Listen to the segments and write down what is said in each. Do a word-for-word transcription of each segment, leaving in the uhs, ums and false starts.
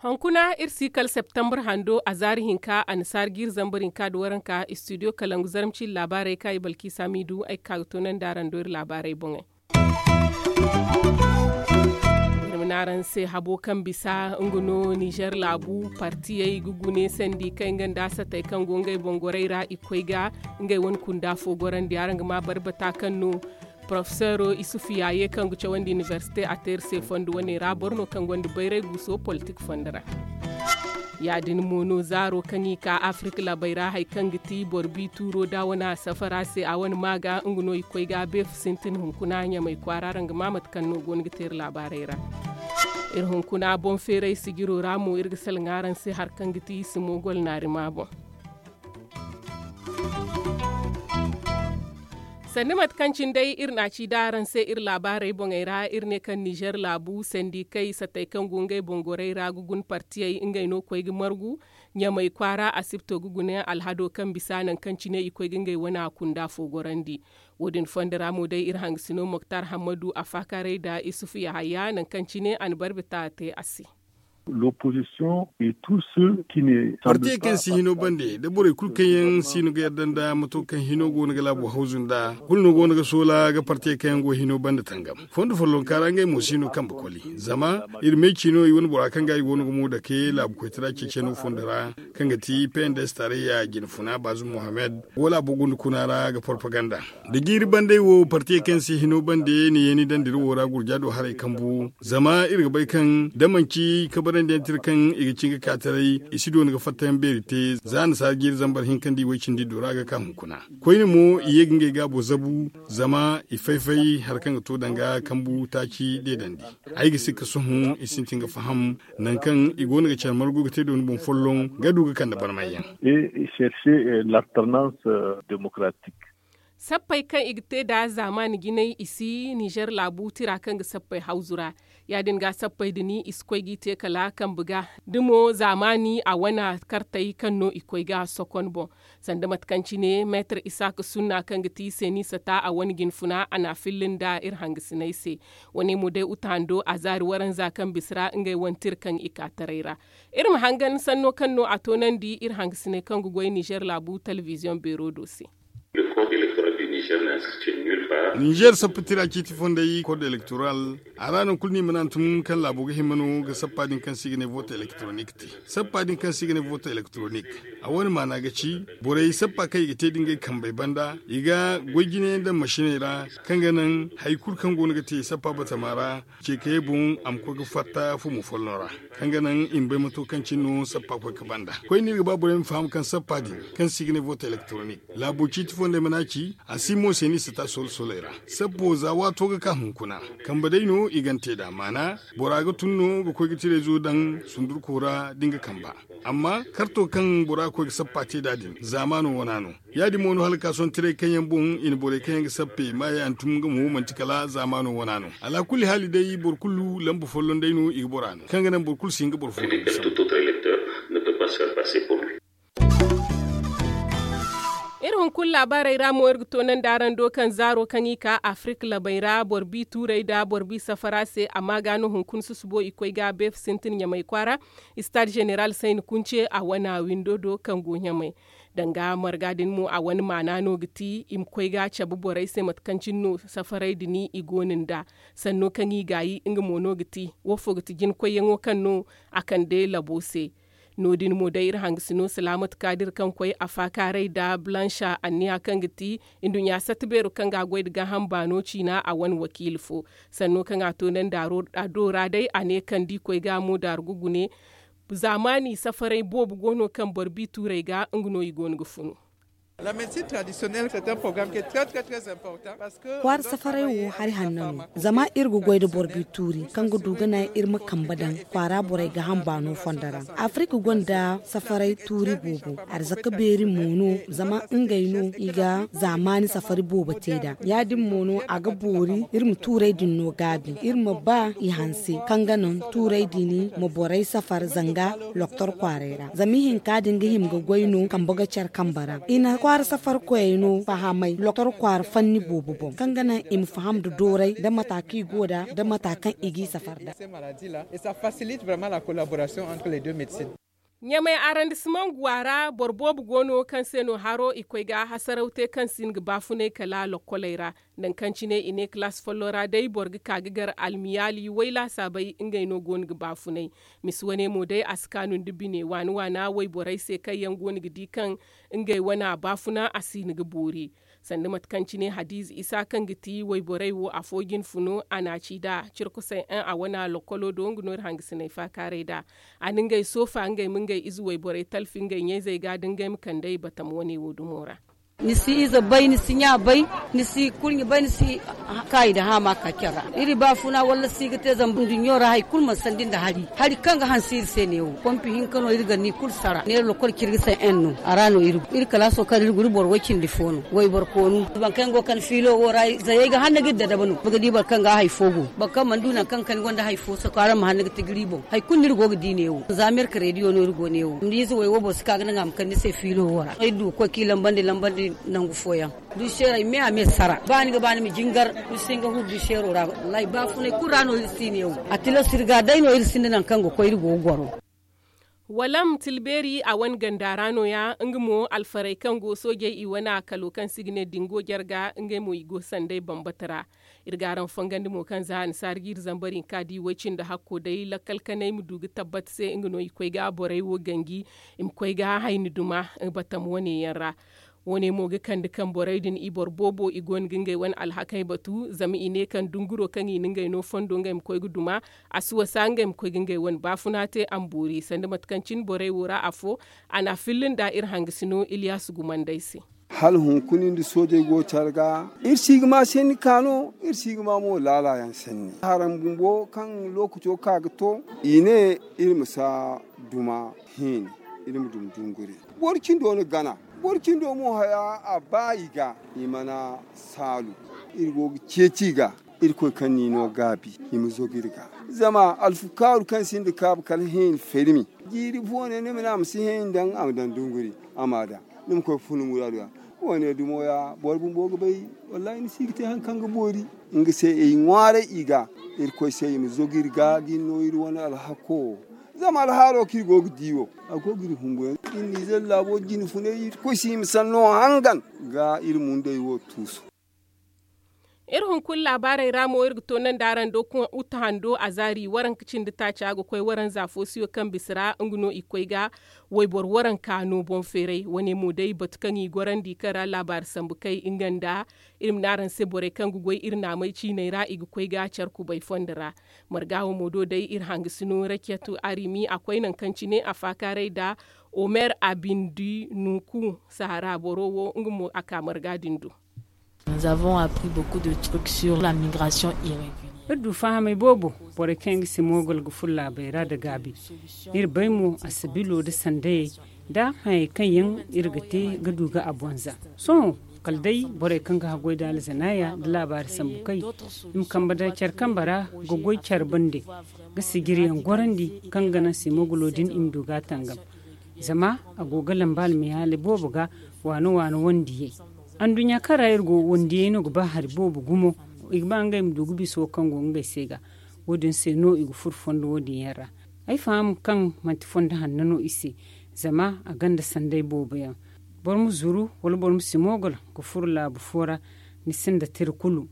Hunkuna iri si kala septembre hando a zaari hinka annasaara jiiri zambar hinka nda waranka istudiyo kalangu zarma ciine laabaarey kaŋ ay balki saamiidu ay ga ka ga toonandi araŋ do iri laabaarey boŋey. Iri ma ne araŋ se habo kaŋ bisa nga no nizer laabu partiyey ga gune sandi kay nga nda satey kaŋ go ngey boŋ gorey ra i koy ga ngey wane kunda fo gorandi araŋ ga ma barbata kaŋ no porofesero isufu yaaye kaŋ ga cawandi inibersite a te iri se fondo wane ra boro no kaŋ gonda bayray guuso politik fondo ra. Ya- din mo no zaaro kaŋ i ka afirik laabey ra hari kaŋ ga ti boro bi tuuro da wane a safara se a wane ma ga nga no i koy ga beefu sintin hunkuna ɲamay kwaara araŋ ga ma mate kaŋ no go no ga te iri laabaarey ra. Iri hunkuna boŋ feeray sijiro ra mo iri ga salaŋ araŋ se hari kaŋ ga ti i si moogol naari ma boŋ. Sanda mate kaŋ cine day iri na a ci da araŋ se iri laabaarey boŋey ra iri ne kaŋ nizer laabu sandikey satey kaŋ go ngey boŋ gorey ra ga guna partiyey ngey no koy ga margu ɲamay kwaara asibto ga guna alhado kaŋ bisa nangu kaŋ cine i koy ga ngey wane a kunda fo gorandi. Wo- din fondo ra mo day iri hangasino moktar hammadu a faakaaray nda isufu yahaya nangu kaŋ cine a na barbe ta a te a se. Partiye kaŋ si hino bande nda borey kulu kaŋ yaŋ si no ga yadda nda mato kaŋ hino go no ga laabo hawzu nda kulu no go no ga soola ga partiye kaŋ yaŋ go hino bande tangam. Fondo follonka ra ngey mo si no kambe koli zama iri meeci no i wane bora kaŋ ga i go no ga mo dake laabu koytara ceeceno fondo ra kaŋ ga ti pnds tarayya jinfuna baazum mohammed go laabo gunda kuna ra ga porpaganda. Da jiiri bandey wo partiye kaŋ se hino bande ni yeeni dandiri wo ra gurja do haray kambu zama iri ga bay kaŋ da manci kabarandi yaŋ tira kaŋ i ga cin ga ka taray i si doona ga fattayaŋ beeri te za nasaara jiiri zambar hinka nda i way cindi do ra ga ka hunkuna. Koyne mo i ye ga ngey gaabo zabu zama i fay-fay hari kaŋ ga to danga kambu taaci deedandi. Ay ga sikka sohõ i sintin ga faham nangu kaŋ i go no ga care margu ga te doona boŋ folloŋ ga du ga kande barmayyaŋ. Chercher l'alternance démocratique. Sappey kaŋ i ga te nd'a zaamaani jinay i si nizer laabu tira kaŋ ga sappey hawzu ra. Ya- din ga sappey din i si koy g'i te kala kambe ga da mo zaamaani a wane kartey kaŋ no i koy ga sokon boŋ. Sanda mate kaŋ cine meetar isaaka sunna kaŋ ga ti seeni sata a wane jinfuna a n'a filla nda iri hangasiney se. Wane mo day uta hando a zaari waranza kaŋ bisa ra ngey wane tira kaŋ i ka taray ra. Iri ma hangan sanno kaŋ no a toonandi iri hangasiney kaŋ ga goy nizer laabu telebiziyoŋ beero do se. Nizer sappa tira ciiti fondey kod elektoral a ra nangu kulu no i mana hantum kaŋ laabo ga hima no ga sappa din kaŋ se i ga ne vote elektronik te. Sappa din kaŋ se i ga ne vote elektronik a wane maana ga ci borey sappa kaŋ i ga te da ngey kambey banda i ga goy jine yaŋ daŋ masiney ra kaŋ ga naŋ hari kulu kaŋ go no ga te sappa batama ra. Ce kayey boŋ a ma koy ga fatta fumo folloŋ ra kaŋ ga naŋ i ma bay mato kaŋ cine no sappa koy ga banda. Koyne iri ga ba borey ma faham kaŋ sappa din kaŋ se i ga ne vote elektronik laabo ciiti fondey mana ci a si mo se ni sata solo-soley ra. Sappo za waato ga ka hunkuna kambe day no i gante nd'a maana bora ga tun no ga koy ga tirezo daŋ sundurko ra da nga kamba. Amma karto kaŋ bora ga koy ga sappa te nd'a din zaamaano wana no. Ya- din mo no hala ga ka sohõ tiray kaŋ yaŋ boŋ i na borey kaŋ yaŋ ga sappe maayaŋ tun nga mo manti kala zaamaano wana no. Alaakulli haali day boro kulu lamba folloŋ day no i ga bora no kaŋ ga naŋ boro kulu si hin ga boro fo. Iri hunkuna laabaarey ra mo iri ga toonandi araŋ do kaŋ zaaro kaŋ i ka afirik labey ra boro bi tuurey nda boro bi safara se amma ga no hunkuna susubo i koy ga beefa sintin ɲamay kwaara. Istaad zeneral sayni kunce a wana windo do kaŋ go ɲamay. Danga marga din mo a wane maana no ga ti i ma koy ga cabe borey se mate kaŋ cine no safaray din i go no nd'a. Sanno kaŋ i gaayi nga mo no ga ti wo fo ga ti jinkoyyaŋo kaŋ no a kande labo se. No- din mo day iri hangasino salaamat kaadir kaŋ koy a faakaaray nda blancha anniya kaŋ ga ti nduɲɲa satta beero kaŋ ga a goy nda gaaham baano ciina a wane wakiila fo. Sanno kaŋ a toonandi a do ra day a ne kaŋ da i koy ga mo daaru ga gune. Zaamaani safaray boobo go no kaŋ boro bi tuurey ga nga no i go no ga funu. Kwaara safaray wo hari hanno no, zama iri ga goy nda boro bi tuuri kaŋ ga du ga naŋ iri ma kambe daŋ kwaara borey gaaham baano fondo ra. Afirik gonda safaray tuuri boobo, arzaka beeri mo no, zama ngey no i ga zaamaani safari boobo te nd'a. Ya- din mo no a ga boori iri ma tuurey din no gaabi, iri ma ba i hanse kaŋ ga naŋ tuurey din ma borey safar zanga loktor kwaaray ra. Zama ihinka din ga hima ga goy no kambe ga care kambe ra. I na kwaara safarkoyey no fahamay loktor kwaara fanni boobo boŋ kaŋ ga naŋ i ma faham nda dooray nda mata kaŋ i go nd'a nda mata kaŋ i g'i safar nd'a. Ɲamay arrondissement guwa ra boro boobo go no kaŋ se no haro i koy ga hasaraw te kaŋ si hin ga baafunay kala lokkoley ra. Nangu kaŋ cine i ne kalaasi folloŋ ra day boro ga ka ga gar almiyaali way laasaabey ngey no go no ga baafunay. Misi wane mo day a si kaanu nda bine waana waana wayborey se kaŋ yaŋ go no ga di kaŋ ngey wana baafuna a si hin ga boori. Sanda mate kaŋ cine hadiize isa kaŋ ga ti wayborey wo afo jine funo a na a ci nd'a cirkusay en a wana lokkolo do nga no iri hangasiney faakaaray nd'a. A na ngey soofa ngey ma ngey ize wayborey talfi ngey ɲayzey ga nda ngey ma kand'ey batam wane wo dumo ra. Ni si ize bay ni si ɲa bay, ni si kurɲe bay ni si kaayi nda haama ka care ra. Iri baafuna walla si ga te zama nduɲɲo ra hari kulu mana sandi nda hari. Hari kaŋ ga hanse iri se neewo pompi hinka no iri ga ni kulu sara neera lokol cirga se en no a ra no iri go iri kalaaso kaŋ iri go iri boro way cindi fo no wayboro koonu. Boro kaŋ go ga kande fiilo wo ra zayey ga hanna ga iri dadabu no ni ga di boro kaŋ ga hari fo go boro kaŋ mana du nangu kaŋ ga kande gonda hari fo sako araŋ ma hanna ga tijiri boŋ hari kulu no iri go ga di neewo za merka reediyo no iri go neewo ni ize way wo boro si ka ga naŋ a ma kande ni se fiilo wo ra iri du ga koy kaŋ i lambandi lambandi nangu fooyaŋ. Duseerey me a me sara ba ni ga ba ni ma jingar ni si hin ga huru duseero ra. Wallaahi baafunay kulu ra no iri si neewo a tilas iri ga day no iri sinda nangu kaŋ ga koy iri go ga goro. Walam tilbeeri a wane ganda ra no- ya nga mo alfarey kaŋ go soojey i wane a kalo kaŋ se i ga ne dingo jarga ngey mo i go sanday bambata ra. Iri ga araŋ fongandi mo kaŋ za annasaara ga iri zambar hinka di way-cindi hakko day lakkal kanay ma du ga tabbat se nga no i koy ga borey wo ganji i ma koy ga hayni duma batam wane yaŋ ra. Wo- ne mo ga kande kaŋ borey din i boro boobo i go no ga ngey wane alhakey batu zama i ne kaŋ dunguro kaŋ i na ngey no fondo ngey ma koy ga duma a si wasa ngey ma koy ga ngey wane baafuna te a ma boori sanda mate kaŋ cine borey wo ra afo. A na a filla nda iri hangasino iliyaasu gumandey se. Hala hunkuna nda soojey go care ga iri si ga ma sanni ka no iri si ga ma mo laala yaŋ sanni haraŋ bumbo kaŋ lookaco ka ga to i ne iri ma si a duma hiini iri ma duma dunguri. Boro cindo na gana boro cindo mo haya a ba i ga i mana saalu. Iri go ga ceeci i ga irkoy kaŋ ni no gaabi i ma zogu iri ga. Zama alfukaaru kaŋ sinda kaabu kala hiini fermi jiiri fo ne ni ma ne a ma si hiini daŋ a ma daŋ dunguri a ma daŋ ni ma koy ga fun ni muraadu ga. Wo- ne dumo ya boro bumbo ga bay. Wallaahi ni si ga te hari kaŋ ga boori nga se ay ŋwaaray i ga irkoy se i ma zogu iri ga ga iri no iri wane alhako. Zama alhaalo kaŋ iri go ga di wo a go ga iri humbu yaŋ iri nizer laabo jine funay irkoy se i ma sanno hangan ga iri mundey wo tuusu. Iri hunkuna laabaarey ra mo iri ga toonandi araŋ do kaŋ uta hando a zaari waranka cindi taaca ga koy waranza foosiyo kaŋ bisa ra nga no i koy ga wayboro waranka no boŋ feeray wane mo day batu kaŋ i gorandi kaŋ ra laabaari sambu kay nga nda iri ma ne araŋ se borey kaŋ ga goy iri naamey ciiney ra i ga koy ga care kubay fondo ra. Marga wo mo do day iri hangasino rakiyatu arimi a koy nangu kaŋ cine a faakaaray nda omer abindi nuku sahara boro wo nga mo a ka marga din do. Nous avons appris beaucoup de trucs sur la migration irrégulière. Iri du fahamay boobo borey kaŋ yaŋ ga simogol ga furo laabey ra nda gaabi. Iri bay mo asabilo nda sandayey nda hayey kaŋ yaŋ iri ga te ga du ga a bonza. Sohõ kala day borey kaŋ ga haggoy nda alzanaaya nda laabaari sambu kay i ma kambe daŋ care kambe ra ga goy care bande ga sijiriyaŋ gorandi kaŋ ga naŋ simogulo din i ma du ga a tangam. Zama a go ga lamba almihaali boobo ga waano waano wandiyey. Anduɲɲa kaŋ ra iri go wandiyey no ga ba hari boobo gumo. I ga ba ngey ma du ga bisa wo kaŋ go ngey se ga. Wo- din se no i ga furo fondo wo- din yaŋ ra. Ay faham kaŋ manti fondo hanno no i se. Zama a gonda sanday boobo yaŋ. Boro ma zuru wala boro ma simogol ga furo laabu fo ra ni sinda tira kulu.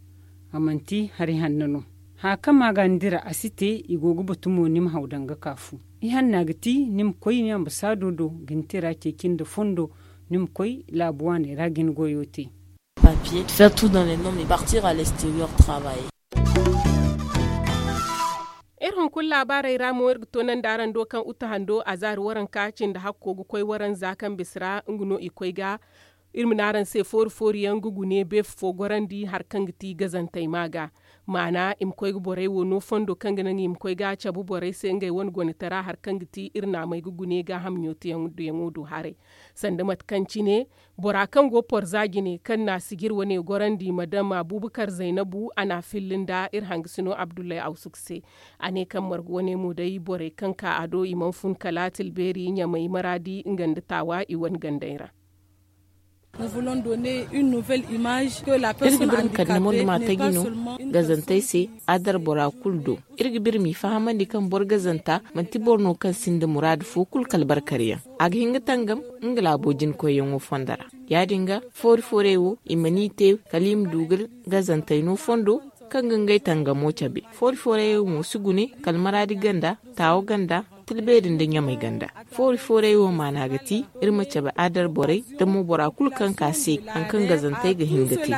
A manti hari hanno no. Haya kaŋ ma ga ni dira a si te i go ga batu mo ni ma haw daŋ ga ka fu. Ihanna ga ti ni ma koy ni ambasaado do ga ni tira ceeci nda fondo. Ni ma koy laabu waaney ra ga ni goyo te. Papier, faire tout dans les normes et partir à l'extérieur travailler. Iri hunkuna laabaarey ra mo iri ga toonandi araŋ do kaŋ uta hando a zaari waranka cindi hakko ga koy waranza kaŋ bisa ra nga no i koy ga Iri ma ne araŋ se foori foori yaŋ ga gune beefa fo gorandi hari kaŋ ga ti gazantey ma ga maana i ma koy ga borey wo no fondo kaŋ ga naŋ i ma koy ga a cabe borey se ngey wane gonetara hari kaŋ ga ti iri naamey ga gune gaaham ɲootiyaŋo do haray. Sanda mate kaŋ cine bora kaŋ go porza jine kaŋ na a sijir wane gorandi madam abuubakar zaynabu a na a filli nda iri hangasino abdullahi awsuk se. A ne kaŋ margu wane mo day borey kaŋ ka a do i mana fun kala tilbeeri ɲamay maraadi nga nda taawa i wane gandey ra. Iri ga biri ma kande ni mondo ma taji no gazantey se. Adar bora kulu do iri ga biri m'i fahamandi kaŋ boro gazanta manti boro no kaŋ sinda muraadu fo kulu kala barkaryaŋ. A ga hin ga tangam nga laabo jinkoyyaŋo fondo ra. Ya- din ga foori foorey wo i mana i te kala i ma du ga gazantey no fondo kaŋ ga ngey tangamo cabe. Foori foorey wo mo si gune kala maraadi ganda, taawo ganda, tilbeeri nda ɲamay ganda. Foori foorey wo maana ga ti iri ma cabe adar borey da mo bora kulu kaŋ ka se hari kaŋ gazantey ga hin ga te.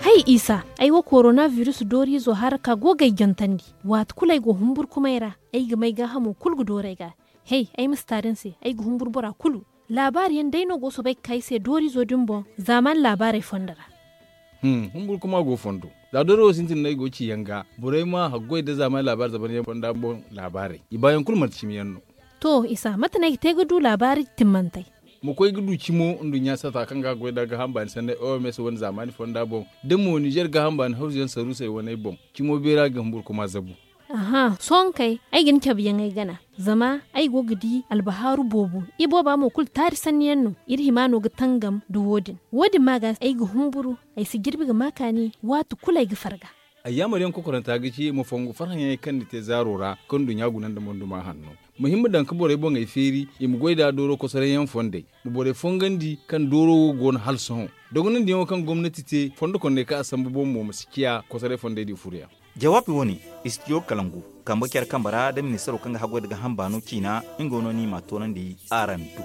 Hay isa, ay wo korona virus dooriizo haraka go ga ay jantandi. Waati kulu ay go humburkumay ra, ay ga may gaahamo kulu ga doori ay ga. Hay, ay ma si taari ni se, ay ga humburu bora kulu. Laabaari yaŋ day no go soobay ga ka ay se dooriizo din boŋ. Zaamaani laabaarey fondo ra. Humburu kuma go fondo. Za dooriizo sintin no ay go ga ci yaŋ ga borey ma haggoy nda zaamaani laabaari zaban yaŋ fonda boŋ. Laabaarey i baayaŋ kulu manti cimi yaŋ no. To isa mate no ay ga te ga du laabaari timmantey? Ma koy ga du cimo nduɲɲa sata kaŋ ga a goy nda gaaham baani sanney oms wane zaamaani fonda boŋ, da mo nizer gaaham baani hawzu yaŋ saruusey waney boŋ. Cimo beera ga humburu kuma zabu. Sohõ kay, ay ga ni cabe yaŋ ay gana. Zama ay go ga di albahaaru boobo. Ibooba mo kulu taari sanni yaŋ no. Iri hima no ga tangam nda wo- din. Wo- din ma ga ay ga humburu. Ay si jirbi ga ma kaani. Waati kulu ay ga farga. Ay yaamar yaŋ kokoranta ga ci ma fongu farhã yaŋey kaŋ ni te zaaro ra kaŋ nduɲɲa guna nda monduma hanno. Ma hima daŋ ga borey boŋey feeri i ma goy nd'a dooro kosoray yaŋ fondey. Ma borey fongandi kaŋ dooro wo go no hala sohõ. Dogonandiyaŋo kaŋ gomnati te fondo kondey kaŋ a sambu boŋ mo ma si ciya kosoray fondey di furuyaŋ. Jawaabi wo- ne, istidiyo kalangu kambe care kambe ra nda ministaro kaŋ ga haggoy nda gaaham baano ciina. Nga no no ni m'a toonandi araŋ do.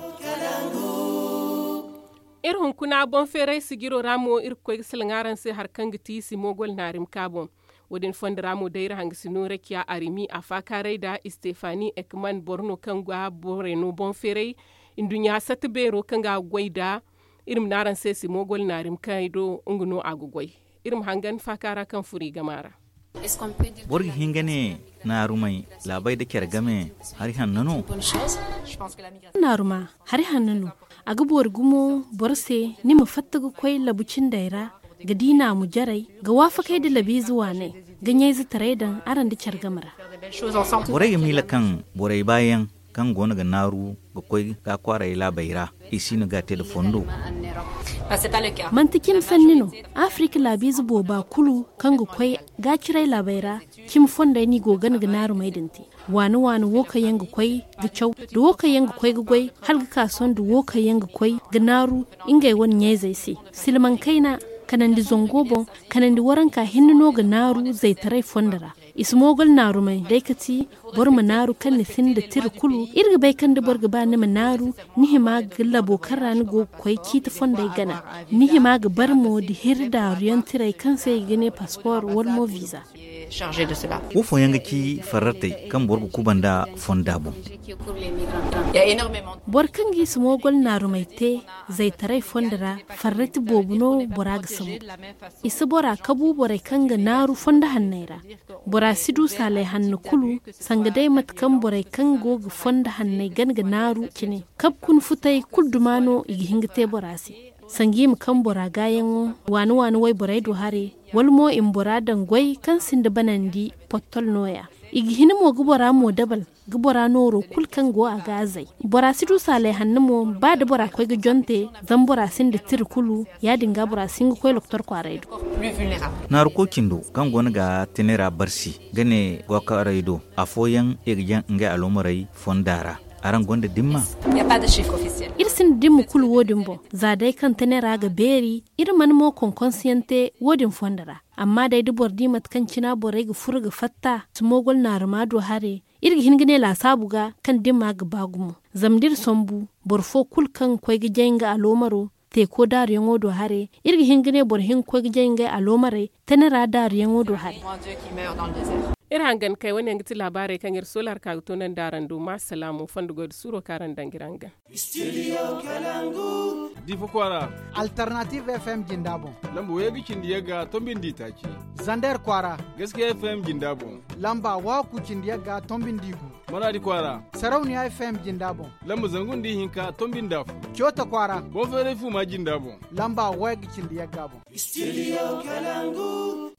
Iri hunkuna boŋ feeray sijiro ra mo iri ga koy ga salaŋ araŋ se hari kaŋ ga ti simogol naarimka boŋ. Wo- din fondo ra mo day iri hangasino rakiya arimi a faakaaray nda istefani ekman boro no kaŋ ga borey no boŋ feeray. Nduɲɲa sata beero kaŋ ga a ga goy nda iri ma ne araŋ se simogol naarimkay do nga no a ga goy. Iri ma hangan faakaara kaŋ furo i gama ra. Boro ga hin ga ne naarumay laabey nda care game hari hanno no? Naaruma hari hanno no. A ga boori gumo boro se ni ma fatta ga koy labu cindey ra ga di naamu jarey ga waafakay nda labiize waaney ga ɲayzetaray daŋ araŋ nda care game ra. Borey ga miila kaŋ borey baayaŋ kaŋ go no ga naaru ga koy ga kwaaray laabey ra i si no ga a te nda fondo. Manti cimi sanni no. Afirika laabiize booba kulu kaŋ ga koy ga ciray laabey ra cimi fondey no i go ga gana ga naarumey din te. Waani waani wo kaŋ yaŋ ga koy ga caw nda wo kaŋ yaŋ ga koy ga goy hala ga ka sohõ nda wo kaŋ yaŋ ga koy ga naaru ngey wane ɲayzey se. Silmaŋ kayna kanandi zango boŋ kanandi waranka hinne no ga naaru zaytaray fondo ra. I si moogol naarumey day ka ti boro ma naaru kaŋ ni sinda tira kulu. Iri ga bay kaŋ da boro ga ba ni ma naaru ni hima ga labo kaŋ ra ni go ga koy ciiti fondey gana. Ni hima ga bar mo nda hirri daaruyaŋ tirey kaŋ se i ga ne paspor wala mo viza. Wo fooyaŋ ga ci farratey kaŋ boro ga kuba nda fonda boŋ. Boro kaŋ ga i si moogol naarumey te zaytaray fondo ra farrati boobo no bora ga sambu. I si bora kabu borey kaŋ ga naaru fondo hanney ra. Bora si du saalay hanno kulu sanga day mate kaŋ borey kaŋ go ga fondo hanney gana ga naaru cine. Kabu kuna futay kulu duma no i ga hin ga te bora se. Sanga i ma kaŋ bora gaayaŋo waani waani wayborey do hare wala mo i ma bora daŋ goy kaŋ sinda banandi pottol nooya. I ga hin mo ga bora mo dabal ga bora nooro kulu kaŋ go a ga a zay. Bora si du saalay hanno mo ba da bora koy ga jonte zama bora sinda tira kulu. Ya- din ga bora si hin ga koy loktor kwaaray do. Naaruko cindo kaŋ go no ga tene ra barsi ga ne gokaray do afooyaŋ i ga jaŋ ngey aloomarey fonda ra. Araŋ gonda dimma? Iri sinda dimma kulu wo- din boŋ. Za day kaŋ tene ra ga beeri iri mana mo konkonsiyaŋ te wo- din fondo ra. Amma day da boro di mate kaŋ cina borey ga furo ga fatta si moogol naaruma do hare. Iri ga hin ga ne laasaabu ga kaŋ dimma ga ba gumo. Zama da iri sambu boro fo kulu kaŋ ga koy ga jay nga aloomaro teeko daaruyaŋo do hare. Iri ga hin ga ne boro hin ga koy ga jay ngey aloomarey tene ra daaruyaŋo do hare. Iri hangan kay wane yaŋ ga ti laabaarey kaŋ iri sola hari ka ga toonandi araŋ do ma salaamu fondo goy da suuro kaŋ araŋ daŋ ga iri hangan. Difa kwaara. Alternative FM jinda boŋ. Lamba way ga cindi yagga tombi nda itaaci. Zander kwaara. Gaskiya FM jinda boŋ. Lamba waaku cindi yagga tombi nda igu. Maraadi kwaara. Sarauniya FM jinda boŋ. Lamba zangu nda ihinka tombi nda afo. Coota kwaara. Boŋ feeray fuuma jinda boŋ. Lamba way ga cindi yagga boŋ. Studio Kalangu.